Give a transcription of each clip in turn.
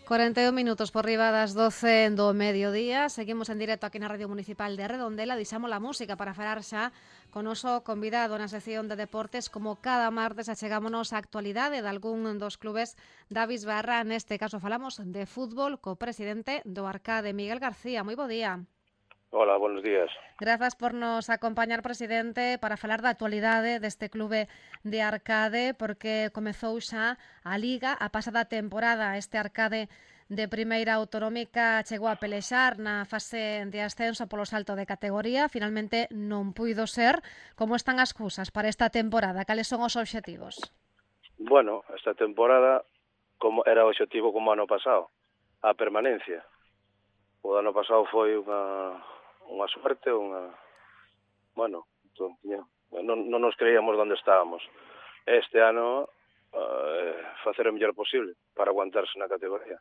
41 minutos por riba das 12 do mediodía. Seguimos en directo aquí na Radio Municipal de Redondela. Deixamos a música para falar xa con noso convidado na sección de deportes. Como cada martes achegámonos a actualidade de algún dos clubes da Bisbarra. Neste caso falamos de fútbol co presidente do Arcade, Miguel García. Moi bo día. Hola, buenos días. Grazas por nos acompañar, presidente, para falar da actualidade deste clube de Arcade, porque comezou xa a Liga a pasada temporada. Este Arcade de primeira autonómica chegou a pelexar na fase de ascenso polo salto de categoría. Finalmente non puido ser. Como están as cousas para esta temporada? Cales son os obxectivos? Bueno, esta temporada como era o obxectivo como ano pasado, a permanencia. O ano pasado foi unha suerte, bueno, non nos creíamos onde estábamos. Este ano facer o mellor posible para aguantarse na categoría.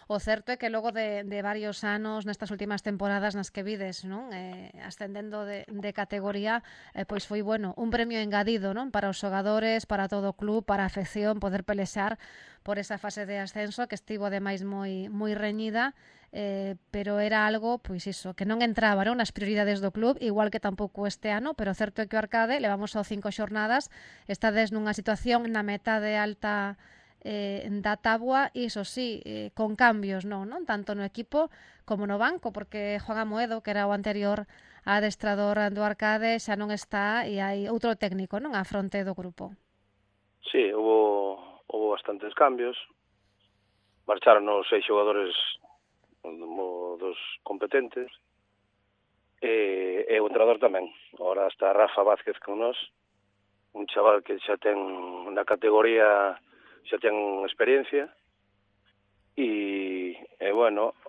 O certo é que logo de varios anos nestas últimas temporadas nas que vides, non? Ascendendo de categoría, pois foi bueno, un premio engadido, non? Para os xogadores, para todo o club, para a afección, poder pelexar por esa fase de ascenso que estivo ademais moi reñida, pero era algo, pois iso, que non entraba, non, nas prioridades do club, igual que tampouco este ano, pero o certo é que o Arcade levamos só 5 xornadas, estades nunha situación na metade alta da táboa, iso sí, con cambios, non? Tanto no equipo como no banco, porque Juan Amoedo, que era o anterior adestrador do Arcade, xa non está e hai outro técnico, non, á fronte do grupo. Sí, hubo bastantes cambios. Marcharon os 6 xogadores dos competentes e o entrenador tamén. Ahora está Rafa Vázquez con nós, un chaval que xa ten na categoría, xa ten experiencia e bueno,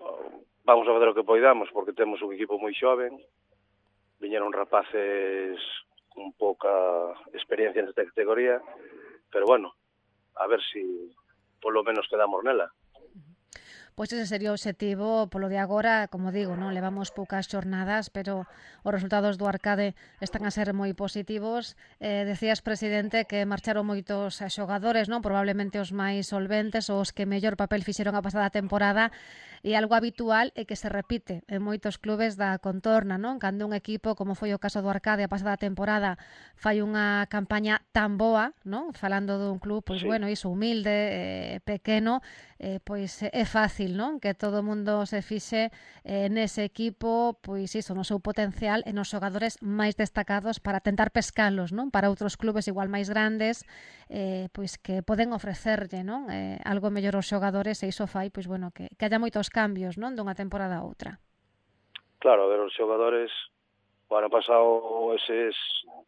vamos a fazer o que poidamos porque temos un equipo moi xoven, viñeron rapaces con pouca experiencia nesta categoría, pero bueno, a ver si polo menos quedamos nela. Pois ese sería o obxectivo polo de agora, como digo, non levamos poucas xornadas, pero os resultados do Arcade están a ser moi positivos. Decías, presidente, que marcharon moitos xogadores, non? Probablemente os máis solventes, os que mellor papel fixeron a pasada temporada, e algo habitual é que se repite en moitos clubes da contorna, non? Cando un equipo, como foi o caso do Arcade a pasada temporada, fai unha campaña tan boa, non? Falando dun club, pois sí, bueno, iso, humilde, pequeno, pois é fácil, non? Que todo o mundo se fixe nese equipo, pois iso, no seu potencial e nos xogadores máis destacados para tentar pescalos, non? Para outros clubes igual máis grandes, pois que poden ofrecerlle, non? Algo mellor aos xogadores, e iso fai, pois bueno, que haya moitos cambios, non? Dunha temporada a outra. Claro, a ver, os xogadores o ano pasado eses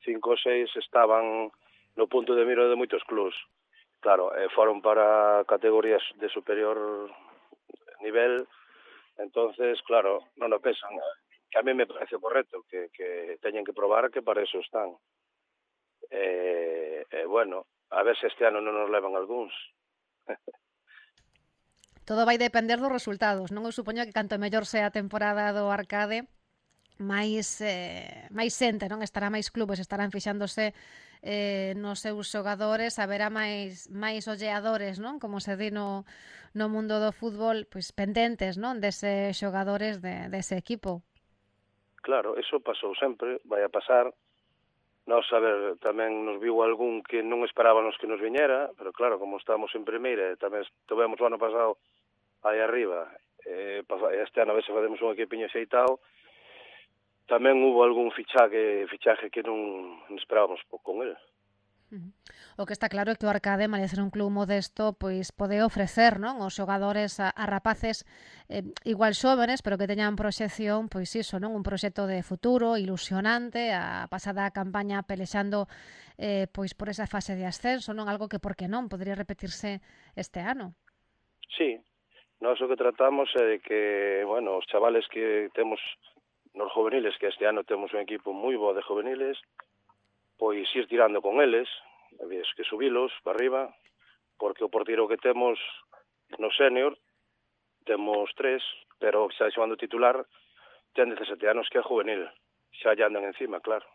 5 ou 6 estaban no punto de mira de moitos clubs. Claro, foron para categorías de superior nivel, entonces, claro, non o pesan. Que a mí me parece correcto, que teñen que probar que para eso están. Bueno, a ver se este ano non nos levan algúns. Todo vai depender dos resultados, non? Eu supoño que canto mellor sea a temporada do Arcade, máis xente, non? Estará máis clubes, estarán fixándose nos seus xogadores, haberá máis olleadores, non? Como se di no mundo do fútbol, pois pendentes, non? Dese xogadores dese equipo. Claro, eso pasou sempre, vai a pasar. Nós, a ver, tamén nos viu algún que non esperábamos que nos viñera, pero claro, como estamos en primeira, tamén tivemos o ano pasado aí arriba, este ano a ver se facemos un equipiño xeitado, tamén hubo algún fichaje que non esperábamos con el. O que está claro é que o Arcade, máis ser un club modesto, pois pode ofrecer, non, os xogadores a rapaces igual xóvenes, pero que teñan proxección, pois iso, non, un proxecto de futuro ilusionante, a pasada campaña pelexando pois por esa fase de ascenso, non, algo que por que non podría repetirse este ano. Sí, nós o que tratamos é de que, bueno, os chavales que temos nos juveniles, que este ano temos un equipo moi bo de juveniles, pois ir tirando con eles, que subilos para arriba, porque o portiro que temos no senior, temos 3, pero xa xogando titular, ten 17 anos que é juvenil, xa lle andan encima, claro.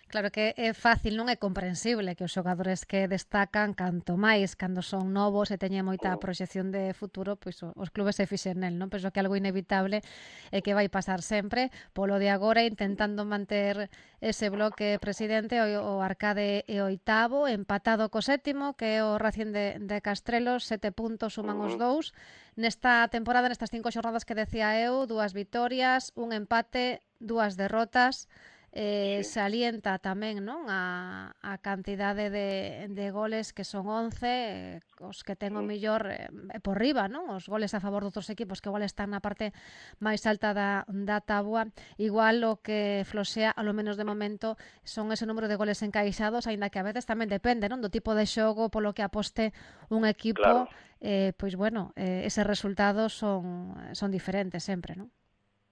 Claro que é fácil, non é comprensible que os xogadores que destacan canto máis cando son novos e teñen moita proxección de futuro, pois os clubes se fixen nel, non? Penso que algo inevitable e que vai pasar sempre. Polo de agora intentando manter ese bloque presidente, o Arcade é oitavo, empatado co sétimo, que é o Racing de Castrelos, 7 puntos suman os dous. Nesta temporada, nestas 5 xornadas que decía eu, 2 vitorias, un empate, 2 derrotas. Salienta tamén, non, a cantidade de goles, que son 11, os que ten o millor por riba, non, os goles a favor de outros equipos que igual están na parte máis alta da tabua. Igual o que floxea, ao menos de momento, son ese número de goles encaixados, aínda que a veces tamén depende, non, do tipo de xogo polo que aposte un equipo. Claro. Pois bueno, eses resultados son diferentes sempre, non?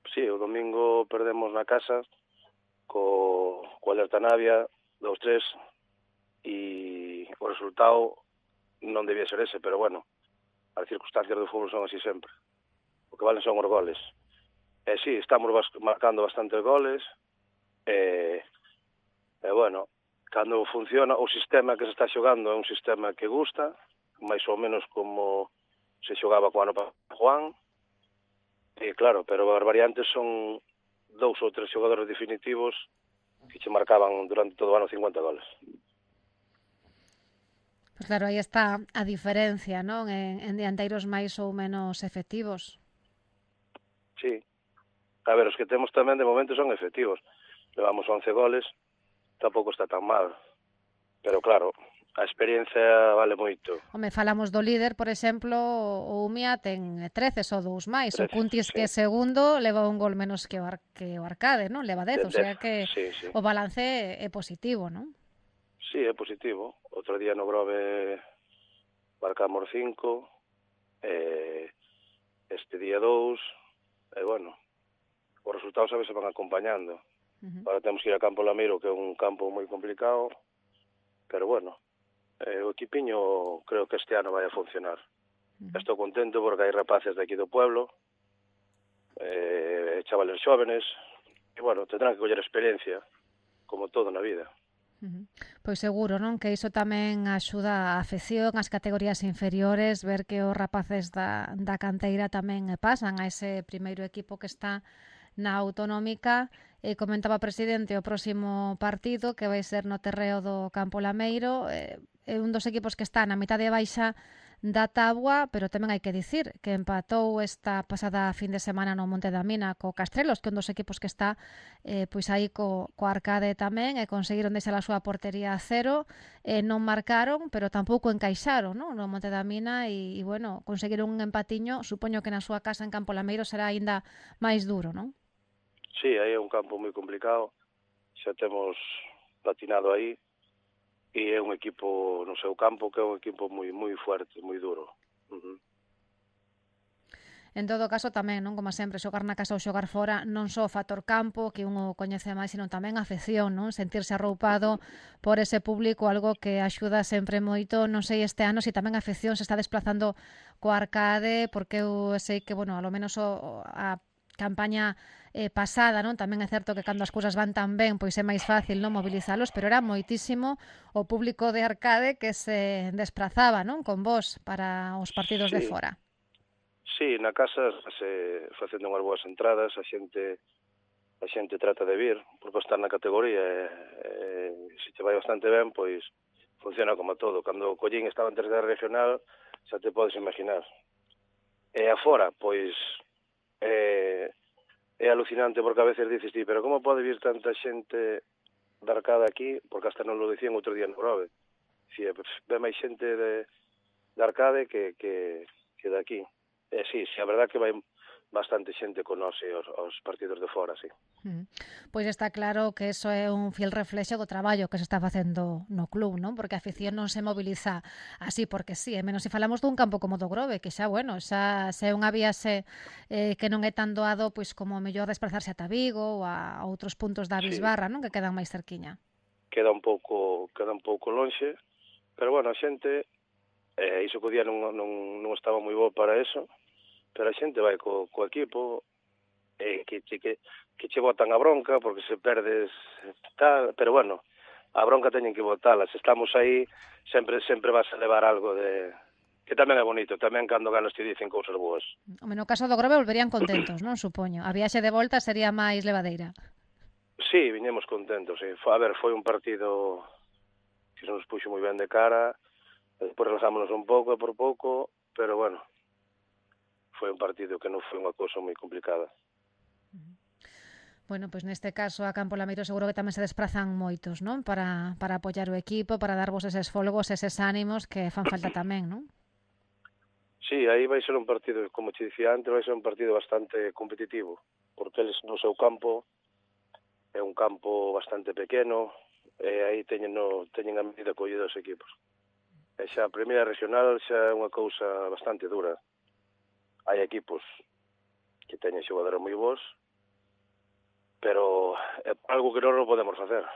Sí, o domingo perdemos na casa co Alerta Navia 2-3 e o resultado non debía ser ese, pero bueno, as circunstancias do fútbol son así sempre. O que valen son os goles. Sí, estamos marcando bastantes goles e bueno, cando funciona o sistema que se está xogando é un sistema que gusta, máis ou menos como se xogaba co ano para Juan, e claro, pero as variantes son 2 ou 3 xogadores definitivos que che marcaban durante todo o ano 50 goles. Pois claro, aí está a diferencia, non? En dianteiros máis ou menos efectivos. Sí. A ver, os que temos tamén de momento son efectivos. Levamos 11 goles, tampouco está tan mal. Pero claro, a experiencia vale moito. Home, falamos do líder, por exemplo, o Umia ten 13, só 2 máis. 13, o Cuntis, sí, que é segundo, leva un gol menos que o Arcade, non? Leva 10, o sea que sí. O balance é positivo, non? Sí, é positivo. Outro día no Grove marcamos 5, este día 2, e bueno, os resultados a veces van acompañando. Ahora temos que ir a Campo Lameiro, que é un campo moi complicado, pero bueno, o equipiño creo que este ano vai a funcionar. Estou contento porque hai rapaces de aquí do pueblo, chavales xóvenes, e bueno, tendrán que coller experiencia, como todo na vida. Pois seguro, non? Que iso tamén axuda a afección, as categorías inferiores, ver que os rapaces da canteira tamén pasan a ese primeiro equipo que está na autonómica. Comentaba o presidente o próximo partido que vai ser no terreo do Campo Lameiro, é un dos equipos que está na mitade baixa da tábua, pero tamén hai que dicir que empatou esta pasada fin de semana no Monte da Mina co Castrelos, que é un dos equipos que está pois aí co Arcade tamén, e conseguiron deixar a súa portería a 0, non marcaron, pero tampouco encaixaron, non, no Monte da Mina, e bueno, conseguiron un empatiño. Supoño que na súa casa en Campo Lameiro será aínda máis duro, non? Sí, aí é un campo moi complicado, xa temos patinado aí, e é un equipo no seu campo que é un equipo moi fuerte, moi duro. En todo caso tamén, non, como sempre, xogar na casa ou xogar fora, non só o factor campo, que un o coñece máis, sino tamén a afección, non? Sentirse arroupado por ese público, algo que axuda sempre moito. Non sei este ano se tamén a afección se está desplazando co Arcade, porque eu sei que, bueno, alo menos a campaña pasada, non? Tamén é certo que cando as cousas van tan ben, pois é máis fácil non mobilizalos, pero era moitísimo o público de Arcade que se desplazaba, non, con vos para os partidos de fora. Sí, na casa se facendo unhas boas entradas, a xente trata de vir, porque estar na categoría se te vai bastante ben, pois funciona como todo. Cando o Collín estaba en terceira regional, xa te podes imaginar. E afora, pois é alucinante, porque a veces dices ti, pero como pode vir tanta xente de Arcade aquí, porque hasta non lo dicían outro día no Grove. Ve máis xente de Arcade que de aquí. Sí, a verdad que vai bastante xente con nós aos partidos de fora, sí. Pois está claro que eso é un fiel reflexo do traballo que se está facendo no club, non? Porque a afición non se moviliza así porque sí, menos se falamos dun campo como do Grove, que xa, bueno, xa é unha viaxe que non é tan doado, pois como mellor desplazarse ata Vigo ou a outros puntos da Bisbarra, non? Que quedan máis cerquiña. Queda un pouco lonxe, pero bueno, a xente, iso que o día non estaba moi bo para eso, pero a xente vai co equipo, que che botan a bronca porque se perdes tal, pero bueno, a bronca teñen que botala. Se estamos aí, sempre vas a levar algo de... Que tamén é bonito, tamén cando ganas te dicen cousas boas. Home, no caso do Grove volverían contentos, non? Supoño. A viaxe de volta sería máis levadeira. Sí, viñemos contentos, sí. A ver, foi un partido que se nos puxo moi ben de cara, despois relaxámonos un pouco por pouco, pero bueno, foi un partido que non foi unha cousa moi complicada. Bueno, pois neste caso a Campo Lameiro seguro que tamén se desprazan moitos, non? Para apoiar o equipo, para darvos eses folgos, eses ánimos que fan falta tamén, non? Sí, aí vai ser un partido, como te dicía antes, vai ser un partido bastante competitivo, porque eles no seu campo é un campo bastante pequeno, e aí teñen a medida collida os equipos. E xa a primeira regional xa é unha cousa bastante dura. Hai equipos que teñen xogadores moi bons, pero é algo que non podemos facer.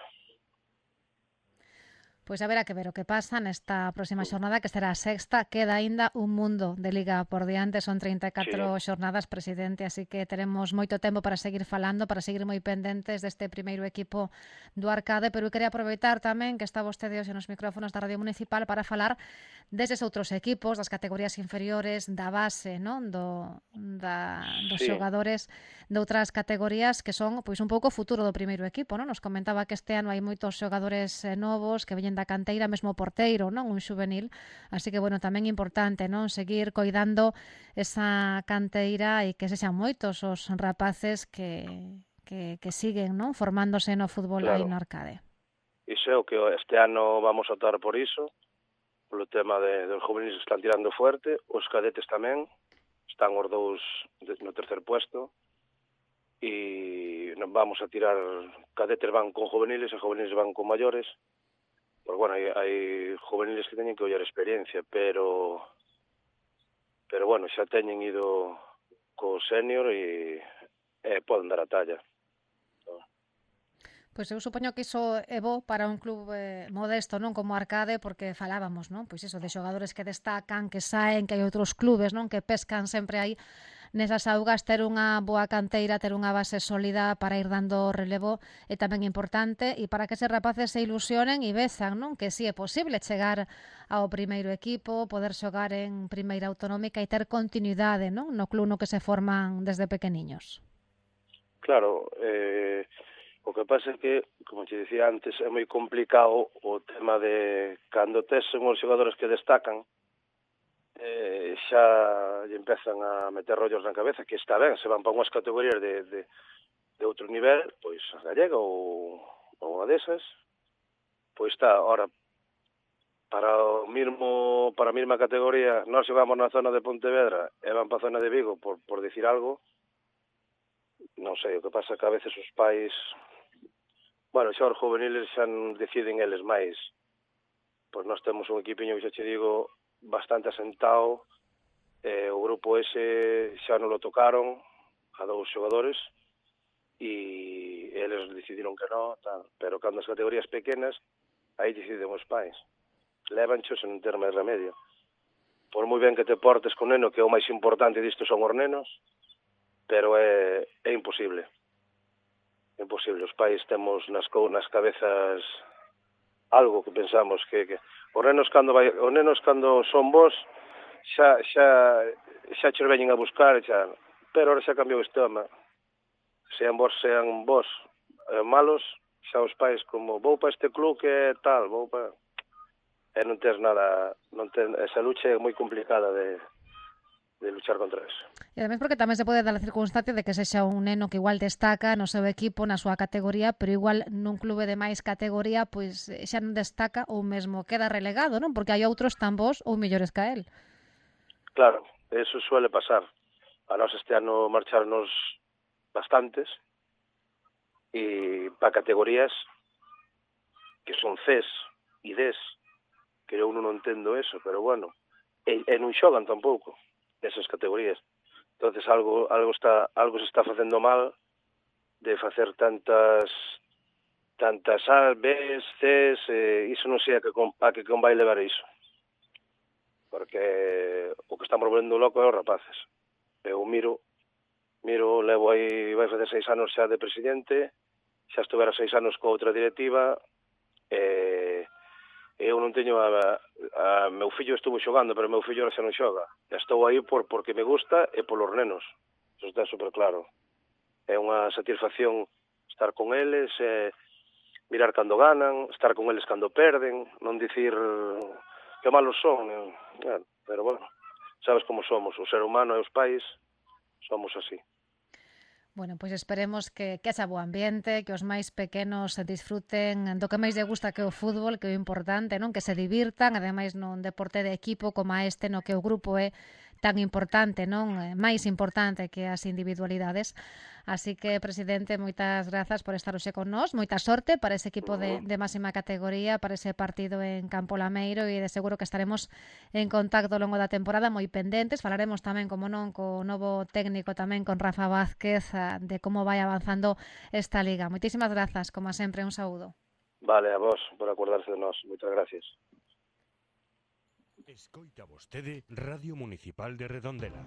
Pois a ver a que ver o que pasa nesta próxima xornada, que será a sexta. Queda aínda un mundo de Liga por diante, son 34 xornadas, presidente, así que teremos moito tempo para seguir falando, para seguir moi pendentes deste primeiro equipo do Arcade, pero eu quería aproveitar tamén que está vostede hoxe nos micrófonos da Radio Municipal para falar deses outros equipos, das categorías inferiores, da base, non? Dos xogadores de outras categorías que son pois un pouco o futuro do primeiro equipo, non? Nos comentaba que este ano hai moitos xogadores novos que veñen da canteira, mesmo porteiro, non? Un xuvenil, así que, bueno, tamén importante, non? Seguir coidando esa canteira e que sexan moitos os rapaces que siguen, non? Formándose no fútbol aí no Arcade. Iso é o que este ano vamos a optar por iso, polo tema dos juveniles que están tirando fuerte, os cadetes tamén, están os dous no tercer puesto, e vamos a tirar, cadetes van con juveniles e juveniles van con maiores. Pues bueno, hai juveniles que teñen que ollar experiencia, pero bueno, xa teñen ido co senior e poden dar a talla. Pois eu supoño que iso é bo para un club modesto, non? Como Arcade, porque falábamos, non? Pois iso, de xogadores que destacan, que saen, que hai outros clubes, non? Que pescan sempre aí nesas augas. Ter unha boa canteira, ter unha base sólida para ir dando relevo é tamén importante, e para que eses rapaces se ilusionen e vezan, non? Que si é posible chegar ao primeiro equipo, poder xogar en primeira autonómica e ter continuidade, non? No club no que se forman desde pequeniños. Claro, o que pasa é que, como te dicía antes, é moi complicado o tema de cando tes unhos xogadores que destacan, xa lle empezan a meter rollos na cabeza, que está ben, se van para unhas categorías de outro nivel, pois a gallega ou unha desas, pois está, ora, para a mesma categoría, nós xogamos na zona de Pontevedra e van para a zona de Vigo, por dicir algo, non sei, o que pasa que a veces os pais, bueno, xa os juveniles xa deciden eles máis, pois nós temos un equipiño que xa che digo, bastante asentado, o grupo ese xa non lo tocaron a dous xogadores e eles decidiron que non, tal. Pero cando as categorías pequenas aí deciden os pais, levanchos en ter máis remedio. Por moi ben que te portes con neno, que o máis importante disto son os nenos, pero é imposible. É imposible, os pais temos nas cabezas algo que pensamos que os nenos cando son vos xa che veñen a buscar, pero ahora xa cambiou o sistema. Sean vos malos, xa os pais como vou para este club que é tal, vou para... E non tens nada, esa lucha é moi complicada de luchar contra eso. E ademais porque tamén se pode dar a circunstancia de que sexa un neno que igual destaca no seu equipo, na súa categoría, pero igual nun clube de máis categoría pois xa non destaca ou mesmo queda relegado, non? Porque hai outros tan bons ou mellores que a él. Claro, eso suele pasar. A nós este ano marcharnos bastantes e para categorías que son Cs e Ds, que eu non entendo eso, pero bueno, e non xogan tampouco esas categorías. Entonces algo se está facendo mal de facer tantas A, Bs, Cs, iso non sei a que convai levar iso. Porque o que estamos volvendo loco é os rapaces. Eu miro Miro, levo aí, vai fazer 6 anos xa de presidente, xa estuvera 6 anos coa outra directiva, eu non teño meu fillo estuvo xogando, pero meu fillo xa non xoga. Estou aí porque me gusta e polos nenos. Eso está super claro. É unha satisfacción estar con eles, mirar cando ganan, estar con eles cando perden, non dicir que malos son, pero bueno, sabes como somos, o ser humano e os pais somos así. Bueno, pois esperemos que haxa bo ambiente, que os máis pequenos disfruten do que máis lle gusta que o fútbol, que é o importante, non? Que se divirtan, ademais nun deporte de equipo como este, no que o grupo é tan importante, non? Máis importante que as individualidades. Así que, presidente, moitas grazas por estar hoxe con nós, moita sorte para ese equipo de máxima categoría, para ese partido en Campo Lameiro, e de seguro que estaremos en contacto ao longo da temporada, moi pendentes. Falaremos tamén, como non, co novo técnico tamén, con Rafa Vázquez, de como vai avanzando esta liga. Moitísimas grazas, como sempre, un saúdo. Vale, a vos por acordarse de nós. Moitas gracias. Escoita vostede Radio Municipal de Redondela.